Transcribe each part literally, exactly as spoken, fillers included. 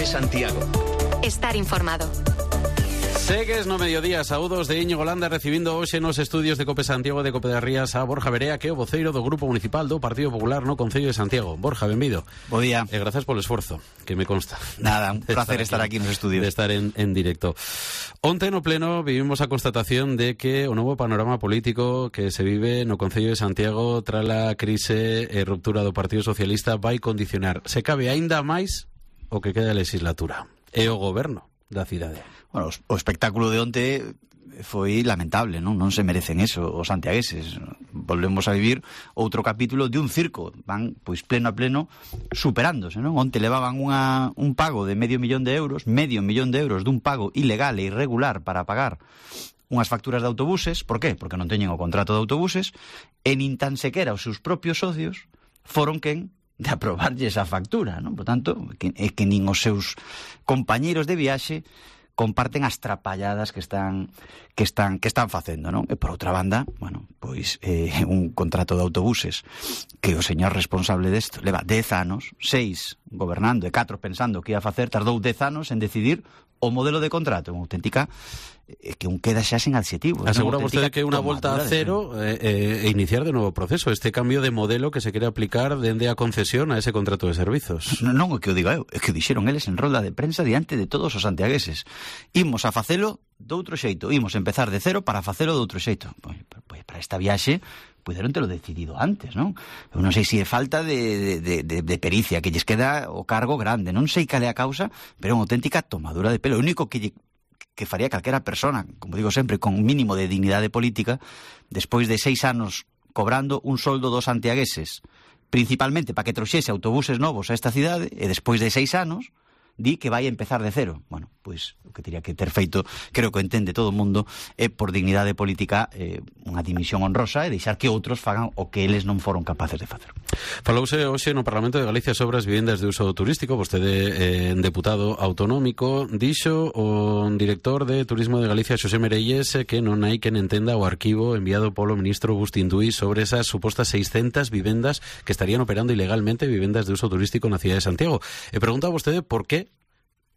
COPE Santiago. Estar informado. Segues no mediodía, saúdos de Íñigo Landa recibindo hoxe nos estudios de COPE Santiago de Cope das Rías a Borja Verea, que é o voceiro do Grupo Municipal do Partido Popular no Concello de Santiago. Borja, benvido. Bo día. E grazas polo esforzo, que me consta. Nada, un placer estar aquí, estar aquí nos estudios. De estar en, en directo. Onte no pleno vivimos a constatación de que o novo panorama político que se vive no Concello de Santiago tras a crise e ruptura do Partido Socialista vai condicionar, se cabe aínda máis, o que queda a legislatura e o goberno da cidade. Bueno, o espectáculo de onte foi lamentable, non? Non se merecen eso os santiagueses. Volvemos a vivir outro capítulo de un circo. Van, pois, pleno a pleno superándose, non? Onte levaban unha, un pago de medio millón de euros, medio millón de euros dun pago ilegal e irregular para pagar unhas facturas de autobuses. Por qué? Porque non teñen o contrato de autobuses e nin tan sequera os seus propios socios foron quen de aprobarlle esa factura, non? Por tanto, que, é que nin os seus compañeiros de viaxe comparten as trapalladas que están que están que están facendo, non? E por outra banda, bueno, pois eh, un contrato de autobuses que o señor responsable desto leva dez anos, seis gobernando e catro pensando que ia facer, tardou dez anos en decidir o modelo de contrato, unha auténtica eh, que un queda xa sen adxetivo. Asegura vostede que é unha volta a cero e eh, eh, iniciar de novo proceso, este cambio de modelo que se quere aplicar dende a concesión a ese contrato de servizos. Non, non é que o diga eu, é que o dixeron eles en rolda de prensa diante de todos os santiagueses. Imos a facelo doutro xeito, imos empezar de cero para facelo doutro xeito. Pois, pois para esta viaxe puderon telo decidido antes, non? Eu non sei se é falta de, de, de, de pericia, que lles queda o cargo grande, non sei cal é a causa, pero é unha auténtica tomadura de pelo. O único que lle, que faría calquera persona, como digo sempre, con un mínimo de dignidade política, despois de seis anos cobrando un soldo dos santiagueses, principalmente para que trouxese autobuses novos a esta cidade, e despois de seis anos di que vai empezar de cero. Bueno, pois o que teria que ter feito, creo que entende todo o mundo, é por dignidade política eh, unha dimisión honrosa e deixar que outros fagan o que eles non foron capaces de facer. Falouse hoxe no Parlamento de Galicia sobre as vivendas de uso turístico. Vostede, eh, deputado autonómico, dixo o director de Turismo de Galicia, Xosé Merelles, que non hai quen entenda o arquivo enviado polo ministro Agustín Duy sobre esas supostas seiscentas vivendas que estarían operando ilegalmente, vivendas de uso turístico na cidade de Santiago. E pregunta a vostede por que,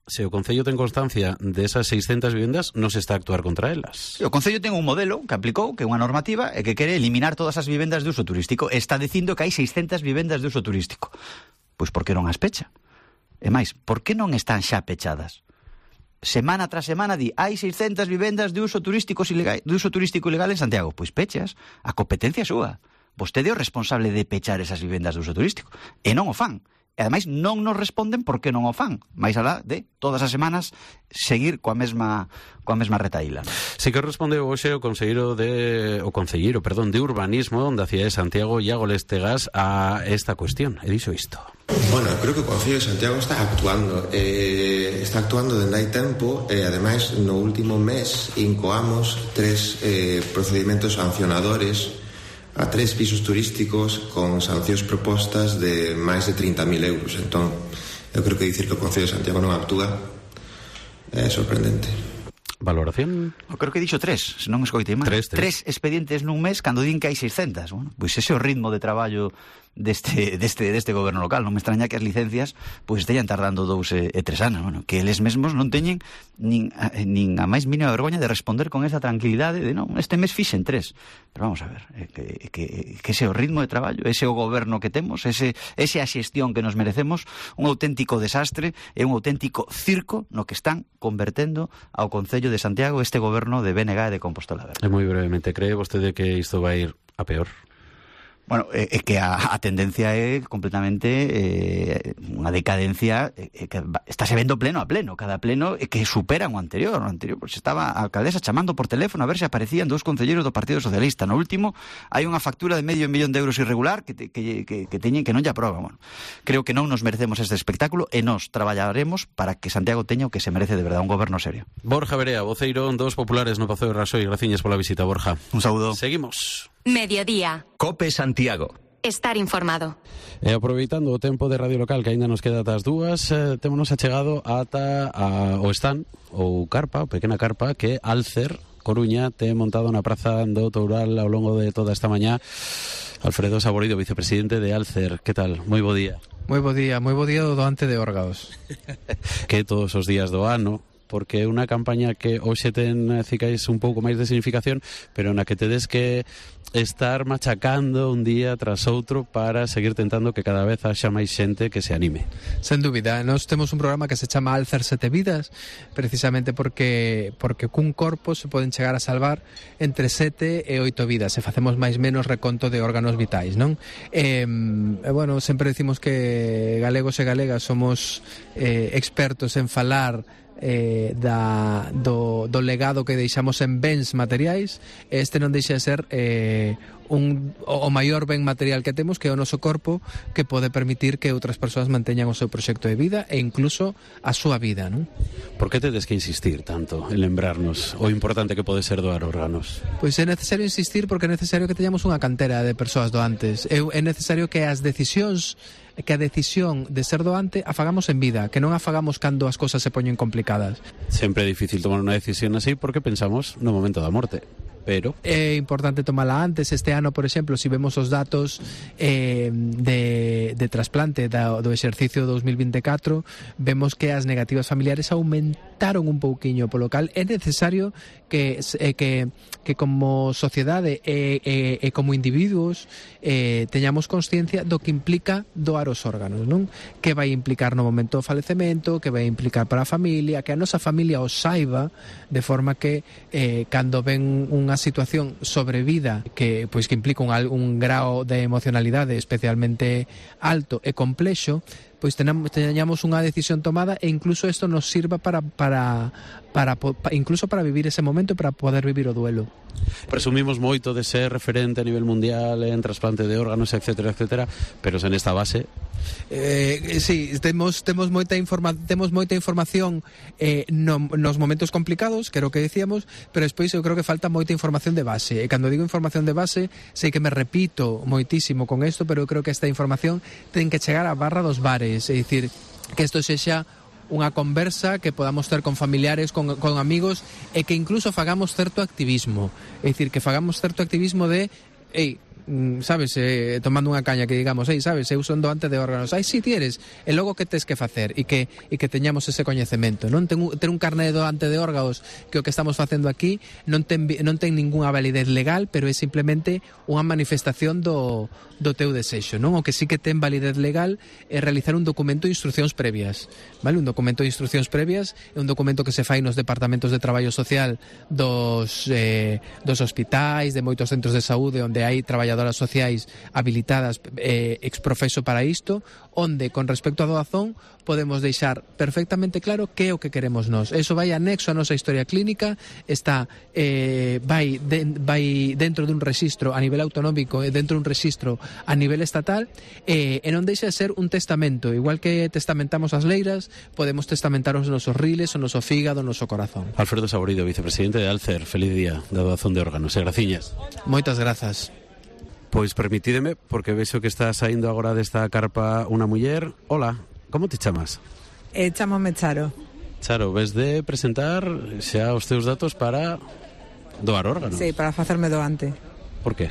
se o Concello ten constancia desas seiscentas vivendas, non se está a actuar contra elas. O Concello ten un modelo que aplicou, que é unha normativa, e que quere eliminar todas as vivendas de uso turístico. Está dicindo que hai seiscentas vivendas de uso turístico. Pois por que non as pecha? E máis, por que non están xa pechadas? Semana tras semana di, hai seiscentas vivendas de uso turístico ilegal, de uso turístico ilegal en Santiago. Pois pechas, a competencia súa. Vostede é o responsable de pechar esas vivendas de uso turístico. E non o fan. E ademais non nos responden por que non o fan, máis alá de todas as semanas seguir coa mesma coa mesma retaíla. Si que respondeu hoxe o conselleiro de o concelleiro, perdón, de urbanismo da cidade de Santiago, Iago Lestegas, a esta cuestión, e dixo isto. Bueno, creo que o Concello de Santiago está actuando eh, está actuando dende hai tempo e ademais no último mes incoamos tres eh, procedimentos sancionadores a tres pisos turísticos con sancións propostas de máis de trinta mil euros. Entón, eu creo que dicir que o Concello de Santiago non actúa é sorprendente. Valoración? Eu creo que dixo tres, se non escoitei mal. Tres, tres. tres expedientes nun mes cando din que hai seiscentas. Bueno, pois ese é o ritmo de traballo deste, deste, deste goberno local. Non me extraña que as licencias pois estean tardando dous e, e tres anos. Bueno, que eles mesmos non teñen nin a, nin a máis mínima vergoña de responder con esa tranquilidade de non, este mes fixen tres. Pero vamos a ver, eh, que, que, que ese é o ritmo de traballo, ese é o goberno que temos, ese, ese é a xestión que nos merecemos, un auténtico desastre e un auténtico circo no que están convertendo ao Concello de Santiago este goberno de B N G e de Compostola Verde. E moi brevemente, cree vostede que isto vai ir a peor? Bueno, é, é que a, a tendencia é completamente eh, unha decadencia eh, que estáse vendo pleno a pleno, cada pleno é que superan o anterior, o anterior, pois estaba a alcaldesa chamando por teléfono a ver se aparecían dous concelleiros do Partido Socialista. No último hai unha factura de medio millón de euros irregular que, te, que, que, que teñen que non lle aproban. Bueno, creo que non nos merecemos este espectáculo e nos traballaremos para que Santiago teña o que se merece de verdade, un goberno serio. Borja Verea, voceiro dos populares no Pazo de Rasoy. Graciñas pola visita, Borja. Un saúdo. Seguimos. Mediodía. COPE Santiago. Estar informado. E aproveitando o tempo de radio local que aínda nos queda ata as dúas, eh, témonos achegado ata a, o stand, ou carpa, o pequena carpa, que Alcer Coruña te montado na praza do Toural ao longo de toda esta mañá. Alfredo Saborido, vicepresidente de Alcer, que tal? Moi bo día. Moi bo día, moi bo día do doante de órganos. Que todos os días do ano, porque é unha campaña que hoxe ten, cicais, un pouco máis de significación, pero na que tedes que estar machacando un día tras outro para seguir tentando que cada vez haxa máis xente que se anime. Sen dúbida, nós temos un programa que se chama Alzar Sete Vidas, precisamente porque porque cun corpo se poden chegar a salvar entre sete e oito vidas, se facemos máis menos reconto de órganos vitais, non? E, e bueno, sempre decimos que galegos e galegas somos eh, expertos en falar Eh, da, do, do legado que deixamos en bens materiais. Este non deixa de ser eh, un, o maior ben material que temos, que é o noso corpo, que pode permitir que outras persoas manteñan o seu proxecto de vida e incluso a súa vida, non? Por que tedes que insistir tanto en lembrarnos o importante que pode ser doar órganos? Pois é necesario insistir porque é necesario que teñamos unha cantera de persoas doantes. É, é necesario que as decisións que a decisión de ser doante a fagamos en vida, que non a fagamos cando as cousas se poñen complicadas. Sempre é difícil tomar unha decisión así porque pensamos no momento da morte, pero é importante tomala antes. Este ano, por exemplo, si vemos os datos eh, de, de trasplante da, do exercicio dos mil vinte e catro, vemos que as negativas familiares aumentaron un pouquiño, polo cal é necesario que, eh, que, que como sociedade e, e, e como individuos eh, teñamos consciencia do que implica doar os órganos, non? Que vai implicar no momento do falecemento, que vai implicar para a familia, que a nosa familia os saiba, de forma que eh, cando ven unha situación sobrevida que pois que implica un, un grao de emocionalidade especialmente alto e complexo, pois tenamos, teñamos unha decisión tomada e incluso isto nos sirva para, para, para, para incluso para vivir ese momento e para poder vivir o duelo. Presumimos moito de ser referente a nivel mundial en trasplante de órganos, etcétera, etcétera, pero sen esta base Eh, sí, temos temos moita informa temos moita información eh, no, nos momentos complicados, que era o que decíamos, pero despois eu creo que falta moita información de base. E cando digo información de base, sei que me repito moitísimo con isto, pero eu creo que esta información ten que chegar á barra dos bares, é dicir, que isto sexa unha conversa que podamos ter con familiares, con, con amigos, e que incluso fagamos certo activismo, é dicir, que fagamos certo activismo de ei, sabes, eh, tomando unha caña que digamos, ei, sabes, eu son doante de órganos, ai, si, ti eres, e logo que tes que facer e que, e que teñamos ese coñecemento, non? Ten, ter un carné de doante de órganos, que o que estamos facendo aquí non ten, non ten ningunha validez legal, pero é simplemente unha manifestación do, do teu desexo, non? O que sí que ten validez legal é realizar un documento de instruccións previas, vale? Un documento de instruccións previas é un documento que se fai nos departamentos de traballo social dos, eh, dos hospitais, de moitos centros de saúde onde hai traballadoras sociais habilitadas eh, exprofeso para isto, onde con respecto á doazón podemos deixar perfectamente claro que é o que queremos nós. Eso vai anexo a nosa historia clínica, está eh, vai, de, vai dentro dun registro a nivel autonómico e dentro dun registro a nivel estatal, eh, e non deixa de ser un testamento. Igual que testamentamos as leiras, podemos testamentar os nosos riles, o noso fígado, o noso corazón. Alfredo Saborido, vicepresidente de Alcer, feliz día da doazón de órganos e graciñas. Moitas grazas. Pois permitídeme, porque vexo que está saindo agora desta carpa unha muller. Hola, como te chamas? Eh, chamome Charo. Charo, ves de presentar xa os teus datos para doar órganos? Sí, para facerme doante. Por que?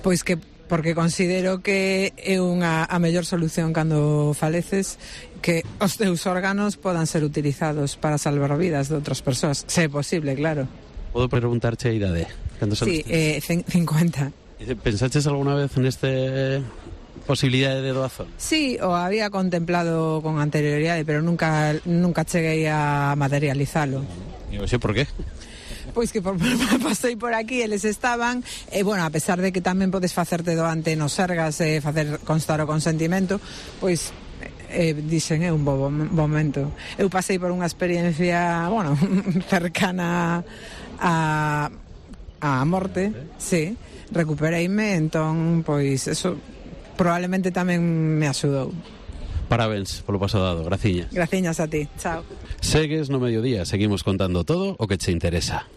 Pois que porque considero que é unha a mellor solución cando faleces, que os teus órganos podan ser utilizados para salvar vidas de outras persoas, se é posible, claro. Podo preguntarche a idade? Sí, eh, cincuenta. ¿Pensaches alguna vez neste posibilidade de doazón? Sí, o había contemplado con anterioridade, pero nunca nunca cheguei a materializalo. E hoxe por qué? Pois que por, por, pasei por aquí, eles estaban, e bueno, a pesar de que tamén podes facerte doante nos Sergas e eh, facer constar o consentimento, pois eh, dixen, é un bo momento. Eu pasei por unha experiencia, bueno, cercana a a morte, sí. Recupereime, entón, pois, eso probablemente tamén me axudou. Parabéns polo paso dado, graciñas. Graciñas a ti, chao. Segues no mediodía, seguimos contando todo o que che interesa.